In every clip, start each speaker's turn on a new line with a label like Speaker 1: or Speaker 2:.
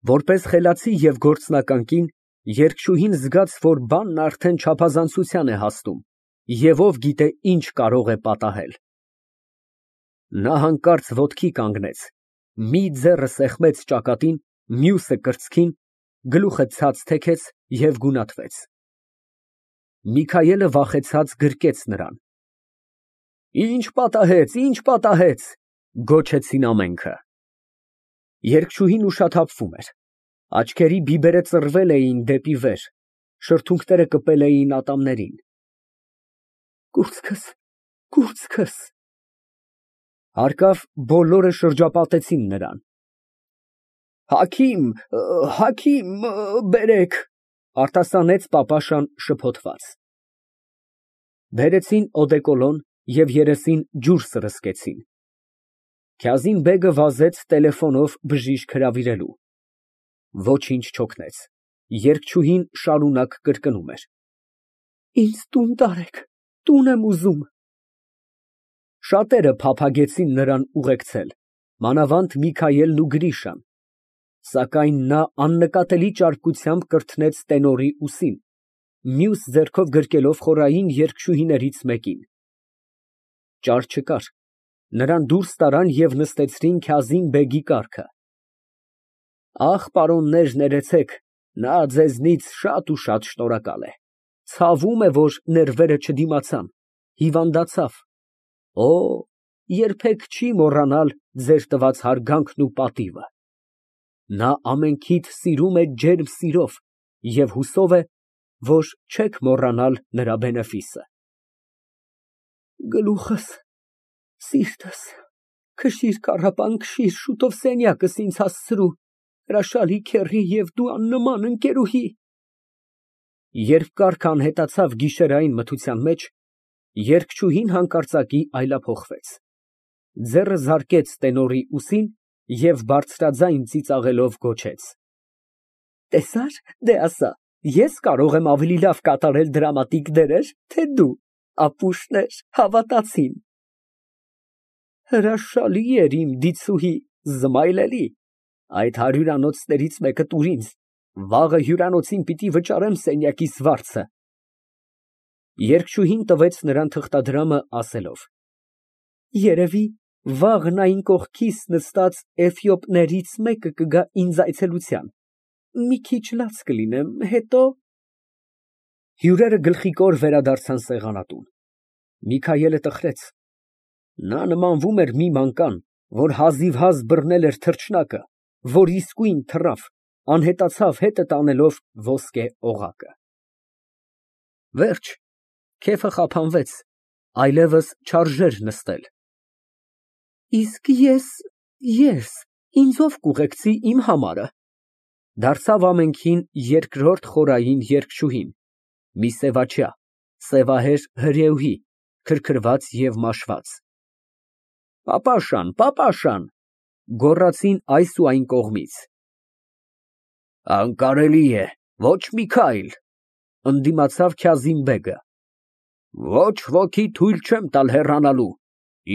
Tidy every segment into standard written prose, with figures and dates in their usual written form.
Speaker 1: Որպես խելացի և գործնական կին, երգչուհին զգաց, որ բանն արդեն չափազանցության է հասնում, և ով գիտե ինչ կարող է պատահել։ Նա հանկարծ ոտքի կանգնեց, մի ձեռը սեղմեց ճակատին, մյուսը կրծքին, գլուխը ցած թեքեց և գունատվեց։ Միքայելը վախեցած գրկեց նրան։ Ինչ պատահեց, գոչեցին ամենքը։ Երգչուհին ուշաթափվում էր, աչքերի բիբերը ծռվել էին դեպի վեր, շրթունքները կպել էին ատամներին։ Կուրծքս։ Հարկավ բոլորը շրջապատեցին նրան։ Հագին բերեք, արտասանեց պապաշան շփոթված։ Բերեցին օդեկոլոն և երեսին ջուր սրսկեցին։ Քազիմ֊բեգը վազեց տելեֆոնով բժիշկ հրավիրելու։ Ոչինչ չօգնեց, երգչուհին շարունակ կրկնում էր. Ինձ տուն տարեք, տուն եմ ուզում։ Շատերը փափագեցին նրան ուղեկցել, մանավանդ Միքայելն ու Գրիշան, սակայն նա աննկատելի ճարպկությամբ կրթնեց տենորի ուսին, մյուս ձեռքով գրկելով խորային երգչուհիներից մեկին։ Ճար չկար, նրան դուրս տարան և նստեցրին Քազիմ֊բեգի կառքը։ Ախ, պարոններ, ներեցեք, նա ձեզնից շատ ու շատ շնորհակալ է, ցավում է, որ ներվերը չդիմացան, հիվանդացավ։ Օ, երբեք չի մոռանալ ձեր տված հարգանքն ու պատիվը։ Նա ամենքիդ սիրում է ջերմ սիրով և հուսով է, որ չեք մոռանալ նրա բենեֆիսը։ Գլուխս, սիրտս, քշիր կառապան, քշիր, շուտով սենյակս ինձ հասցրու, հրաշալի քեռի և դու աննման ընկերուհի։ Երբ կառքը անհետացավ գիշերային մթության մեջ, երգչուհին հանկարծակի այլափոխվեց, ձեռը զարկեց տենորի ուսին և բարձրաձայն ծիծաղելով գոչեց. Տեսա՞ր, դե ասա, ես կարող եմ ավելի լավ կատարել դրամատիկ դերեր, թե դու, ապուշներ, հավատացին։ Հրաշալի էր իմ դիցուհի, զմայլելի, այդ հարյուրանոցներից մեկը տուր ինձ, վաղը հյուրանոցին պիտի վճարեմ սենյակիս վարձը։ Երգչուհին տվեց նրան թղթադրամը, ասելով. Երևի վաղն այն կողքիս նստած էֆիոպներից մեկը կգա ինձ այցելության, մի քիչ լաց կլինեմ, հետո… Հյուրերը գլխիկոր վերադարձան սեղանատուն։ Միքայելը տխրեց, նա նմանվում էր մի մանկան, որ հազիվհազ բռնել էր թռչնակը, որ իսկույն թռավ, անհետացավ հետը տանելով ոսկե օղակը։ Վերջ, քեֆը խափանվեց, այլևս չարժեր նստել։ Իսկ ես, ինձ ով կուղեկցի իմ համարը, դարձավ ամենքին երկրորդ խորային երգչուհին, մի սևաչյա, սևահեր հրեուհի, քրքրված և մաշված։ Պապաշան, գոռացին այս ու այն կողմից։ Անկարելի է, ոչ Միքայել, ընդդիմացավ Քազիմ֊բեգը։ Ոչ ոքի թույլ չեմ տալ հեռանալու,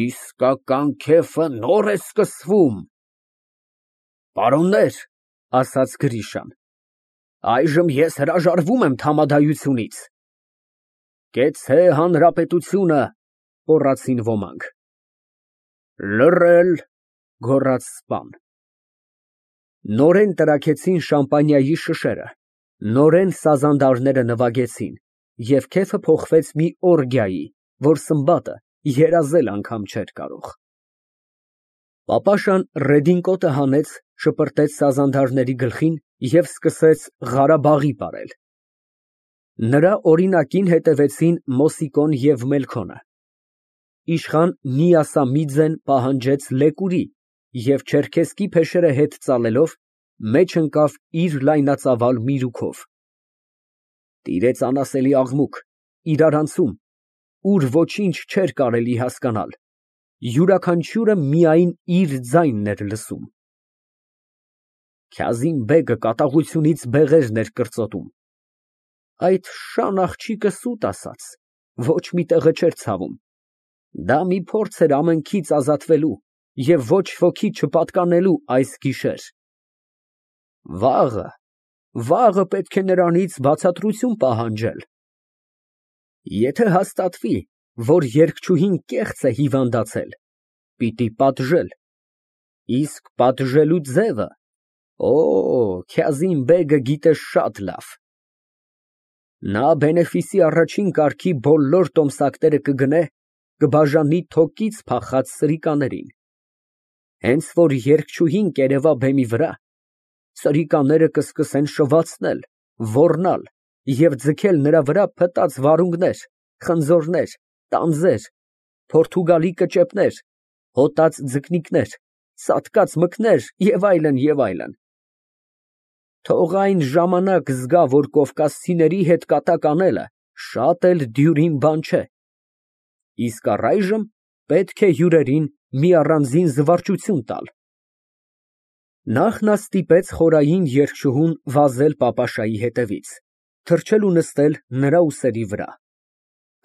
Speaker 1: իսկական քեֆը նոր է սկսվում։ Պարոններ, ասաց Գրիշան, այժմ ես հրաժարվում եմ թամադայությունից։ Կեցցե հանրապետությունը, գոռացին ոմանք։ Լռել, գոռաց սպան։ Նորեն տրաքեցին շամպանիայի շշերը, նորեն սազանդարները նվագեցին, և քեֆը փոխվեց մի օրգիայի, որ Սմբատը երազել անգամ չէր կարող։ Պապաշան ռեդինկոտը հանեց, շպրտեց սազանդարների գլխին և սկսեց Ղարաբաղի պարել։ Նրա օրինակին հետևեցին Մոսիկոն և Մելքոնը։ Իշխան Նիասամիձեն պահանջեց լեկուրի և չերքեզկի փեշերը հետ ծալելով, մեջ ընկավ իր լայնածավալ միրուքով։ Տիրեց անասելի աղմուկ, իրարանցում, ուր ոչինչ չէր կարելի հասկանալ, յուրաքանչյուրը միայն իր ձայնն էր լսում։ Քազիմ֊բեգը կատաղությունից բեղերն էր կրծոտում։ Այդ շան աղջիկը սուտ ասաց, ոչ մի տեղը չէր ցավում։ Դա մի փորձ էր ամենքից ազատվելու և ոչ ոքի չպատկանելու այս գիշեր։ Վաղը, վաղը պետք է նրանից բացատրություն պահանջել։ Եթե հաստատվի, որ երգչուհին կեղծ է հիվանդացել, պիտի պատժել, իսկ պատժելու ձևը, Քազիմ֊բեգը գիտե շատ լավ։ Նա բենեֆիսի առաջին կարգի բոլոր տոմսակները կգնե, կբաժանի թոկից փախած սրիկաներին։ Հենց որ երգչուհին կերևա բեմի վրա, սրիկաները կսկսեն շվացնել, ոռնալ և ձգել նրա վրա փտած վարունգներ, խնձորներ, տանձեր, փորթուգալի կճեպներ, հոտած ձկնիկներ, սատկած մկներ և այլն, և այլն։ Թող այն ժամանակ զգա, որ կովկասցիների հետ կատակ անելը շատ էլ դյուրին բան չէ, իսկ առայժմ պետք է հյուրերին մի առանձին զվարճություն տալ։ Նախ նա ստիպեց խորային երգչուհուն վազել պապաշայի հետևից, թռչել ու նստել նրա ուսերի վրա։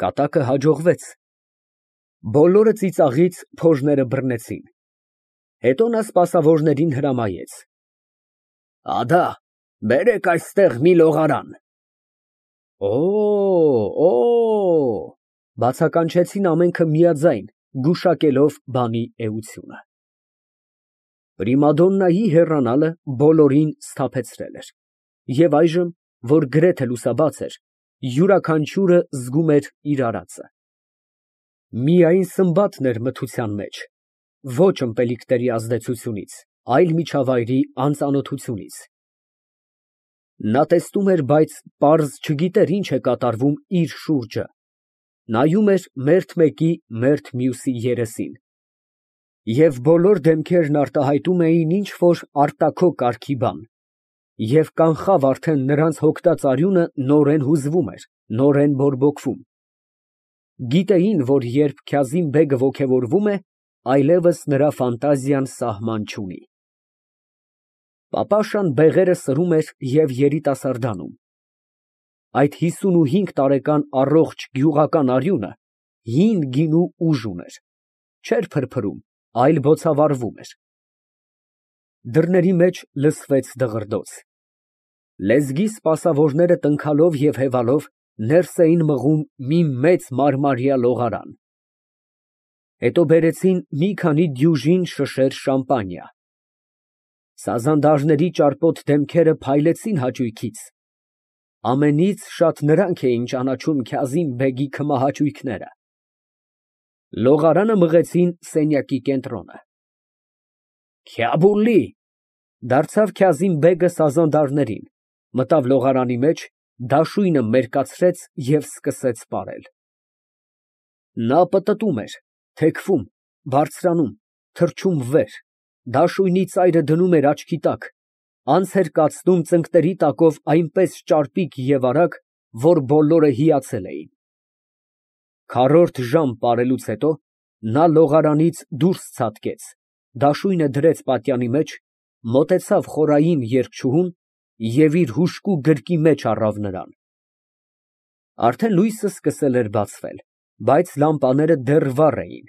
Speaker 1: Կատակը հաջողվեց։ Բոլորը ծիծաղից փոժները բռնեցին։ Հետո նա սպասավորներին հրամայեց. Ադա, բերեք այստեղ մի լողարան։ Բացականչեցին ամենքը միաձայն, գուշակելով բանի էությունը։ Պրիմադոննայի հեռանալը բոլորին սթափեցրել էր, և այժմ, որ գրեթե լուսաբաց էր, յուրաքանչյուրը զգում էր իր արածը։ Միայն Սմբատն էր մթության մեջ, ոչ ըմպելիքների ազդեցությունից, այլ միջավայրի անծանոթությունից։ Նա տեսնում էր, բայց պարզ չգիտեր ինչ է կատարվում իր շուրջը, նայում էր մերթ մեկի, մերթ մյուսի երեսին, և բոլոր դեմքերն արտահայտում էին ինչ֊որ արտաքո կարգի բան, և կանխավ արդեն նրանց հոգտած արյունը նորեն հուզվում էր, նորեն բորբոքվում։ Գիտեին, որ երբ Քազիմ֊բեգը ոգևորվում է, այլևս նրա ֆանտազիան սահման չունի։ Պապաշան բեղերը սրում էր և երիտասարդանում։ Այդ 55 տարեկան առողջ գյուղական արյունը հին գինու ուժ ուներ, չէր փրփրում, այլ բոցավառվում էր։ Դռների մեջ լսվեց դղրդոց։ Լեզգի սպասավորները տնքալով և հևալով ներս էին մղում մի մեծ մարմարյա լողարան։ Հետո բերեցին մի քանի դյուժին շշեր շամպանիա։ Սազանդարների ճարպոտ դեմքերը փայլեցին հաճույքից։ Ամենից շատ նրանք էին ճանաչում Քազիմ֊բեգի քմահաճույքները։ Լողարանը մղեցին սենյակի կենտրոնը։ Քյաբուլի, դարձավ Քազիմ֊բեգը սազանդարներին, մտավ լողարանի մեջ, դաշույնը մերկացրեց և սկսեց պարել։ Նա պտտում էր, թեքվում, բարձրանում, թռչում վեր, դաշույնի ծայրը դնում էր աչքի տակ, անց էր կացնում ծնկների տակով այնպես ճարպիկ և արագ, որ բոլորը հիացել էին։ Քառորդ ժամ պարելուց հետո նա լողարանից դուրս ցատկեց, դաշույնը դրեց պատյանի մեջ, մոտեցավ խորային երգչուհուն և իր հուժկու գրկի մեջ առավ նրան։ Արդեն լույսը սկսել էր բացվել, բայց լամպաները դեռ վառ էին։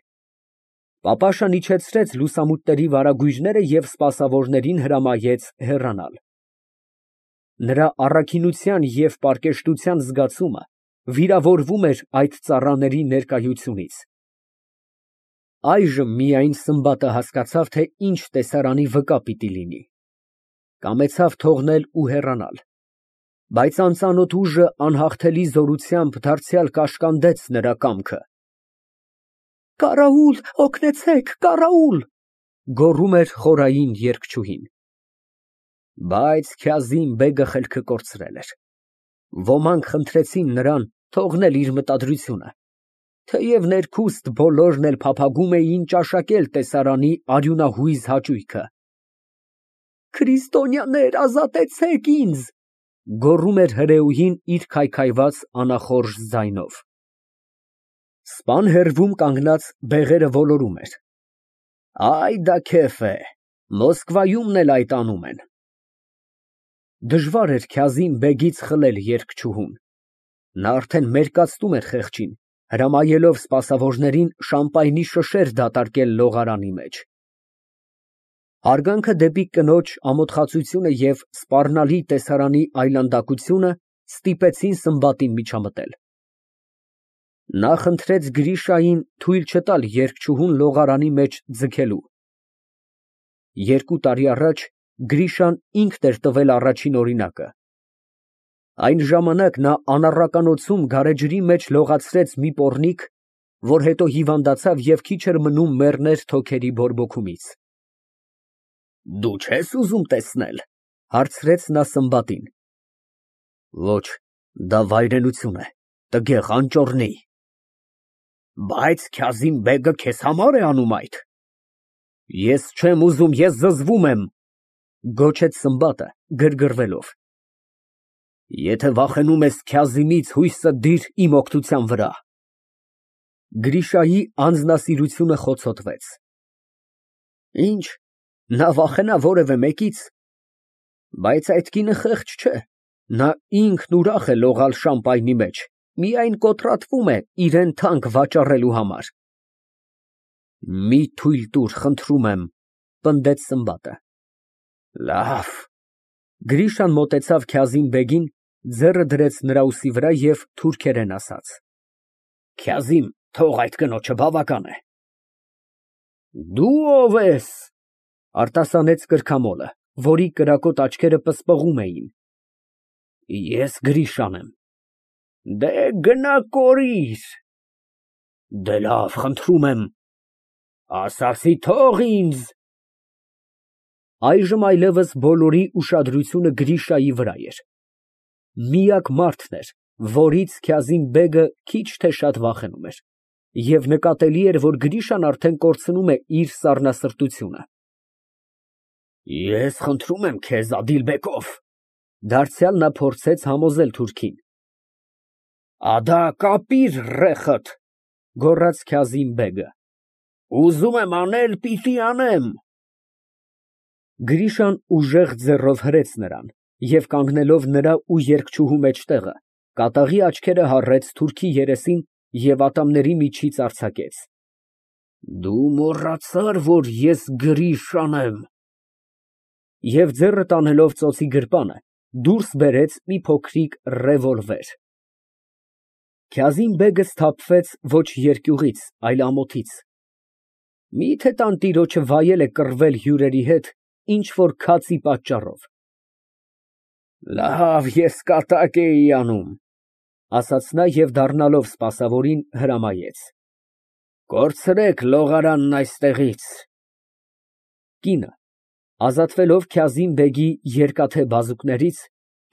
Speaker 1: Պապաշան իջեցրեց լուսամուտների վարագույրները և սպասավորներին հրամայեց հեռանալ։ Նրա առաքինության և պարկեշտության զգացումը վիրավորվում էր այդ ծառաների ներկայությունից։ Այժմ միայն Սմբատը հասկացավ, թե ինչ տեսարանի վկա պիտի լինի։ Կամեցավ թողնել ու հեռանալ, բայց անծանոթ ուժը անհաղթելի զորությամբ դարձյալ կաշկանդեց նրա կամքը։ «Կարաուլ, օգնեցե՛ք, կարաուլ», գոռում էր խորային երգչուհին։ Բայց Քազիմ֊բեգը խելքը կորցրել էր։ Ոմանք խնդրեցին նրան թողնել իր մտադրությունը, թեև ներքուստ բոլորն էլ փափագում էին ճաշակել տեսարանի արյունահույզ հաճույքը։ «Քրիստոնյաներ, ազատեցեք ինձ», գոռում էր հրեուհին իր քայքայված անախորժ ձայնով։ Սպան հեռվում կանգնած բեղերը ոլորում էր. «Այ դա քեֆ է, Մոսկվայումն էլ այդ անում են»։ Դժվար էր Քազիմ֊բեգից խլել երգչուհուն։ Նա արդեն մերկացնում էր խեղճին, հրամայելով սպասավորներին շամպայնի շշեր դատարկել լողարանի մեջ։ Հարգանքը դեպի կնոջ ամոթխածությունը և սպառնալի տեսարանի այլանդակությունը ստիպեցին Սմբատին միջամտել։ Նա խնդրեց Գրիշային թույլ չտալ երգչուհուն լողարանի մեջ ձգելու։ 2 տարի առաջ Գրիշան ինքն էր տվել առաջին օրինակը։ Այն ժամանակ նա անառականոցում գարեջրի մեջ լողացրեց մի պոռնիկ, որ հետո հիվանդացավ և քիչ էր մնում մեռներ թոքերի բորբոքումից։ Դու չե՞ս ուզում տեսնել, հարցրեց նա Սմբատին։ Ոչ, դա վայրենություն է, տգեղ, անճոռնի։ Բայց Քազիմ֊բեգը քեզ համար է անում այդ։ Ես չեմ ուզում, ես զզվում եմ, գոչեց Սմբատը գրգռվելով։ Եթե վախենում ես Քազիմից, հույսդ դիր իմ օգնության վրա։ Գրիշայի անձնասիրությունը խոցոտվեց։ Ինչ, նա վախենա որևէ մեկից։ Բայց այդ կինը խեղճ չէ, նա ինքն ուրախ է լողալ շամպայնի մեջ, միայն կոտրատվում է իրան թանկ վաճառելու համար։ Մի թույլ տուր, խնդրում եմ, պնդեց Սմբատը։ Լավ։ Գրիշան մոտեցավ Քազիմ֊բեգին, ձեռը դրեց նրա ուսի վրա և թուրքերեն ասաց. Քազիմ, թող այդ կնոջը, բավական է։ Դու ո՞վ ես, արտասանեց կրքամոլը, որի կրակոտ աչքերը պսպղում էին։ Ես Գրիշան եմ։ Դե գնա կորիր։ Դե լավ, խնդրում եմ։ Ասացի թող ինձ։ Այժմ այլևս բոլորի ուշադրությունը Գրիշայի վրա էր։ Միակ մարդն էր, որից Քազիմ֊բեգը քիչ թե շատ վախենում էր, և նկատելի էր, որ Գրիշան արդեն կորցնում է իր սառնասրտությունը։ Ես խնդրում եմ քեզ, Ադիլբեկով, դարձյալ նա փորձեց համոզել թուրքին։ Ադա կապիր ռեխդ, գոռաց Քազիմ֊բեգը։ Ուզում եմ անել, պիտի անեմ։ Գրիշան ուժեղ ձեռով հրեց նրան և կանգնելով նրա ու երգչուհու մեջտեղը, կատաղի աչքերը հառեց թուրքի երեսին և ատամների միջից արձակեց. Դու մոռացար, որ ես Գրիշան եմ։ Եվ ձեռը տանելով ծոցի գրպանը, դուրս բերեց մի փոքրիկ ռևոլվեր։ Քազիմ֊բեգը սթափվեց ոչ երկյուղից, այլ ամոթից։ Մի՞թե տանտիրոջը վայել է կռվել հյուրերի հետ ինչ֊որ քացի պատճառով։ Լավ, ես կատակ էի անում, ասաց նա և դառնալով սպասավորին հրամայեց. Կորցրեք լողարանն այստեղից։ Կինը, ազատվելով Քազիմ֊բեգի երկաթե բազուկներից,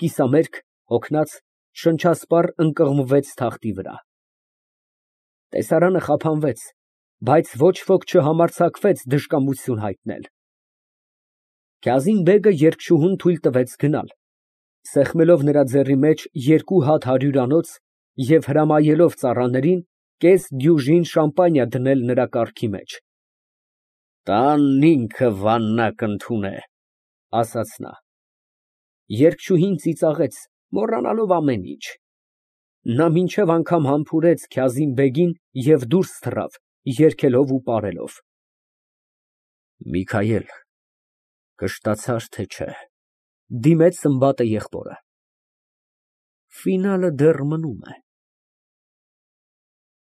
Speaker 1: կիսամերկ, հոգնած, շնչասպառ ընկղմվեց թախտի վրա։ Տեսարանը խափանվեց, բայց ոչ ոք չհամարձակվեց դժկամություն հայտնել։ Քազիմ֊բեգը երգչուհուն թույլ տվեց գնալ, սեղմելով նրա ձեռքի մեջ 2 հատ հարյուրանոց և հրամայելով ծառաներին կես դյուժին շամպանիա դնել նրա կառքի մեջ։ Տանն ինքը վաննա կընդունե, ասաց նա։ Երգչուհին ծիծաղեց, մոռանալով ամեն ինչ։ Նա մինչև անգամ համբուրեց Քազիմ֊բեգին և դուրս թռավ, երգելով ու պարելով։ Միքայել, կշտացա՞ր, թե չէ, դիմեց Սմբատը եղբորը։ Ֆինալը դեռ մնում է։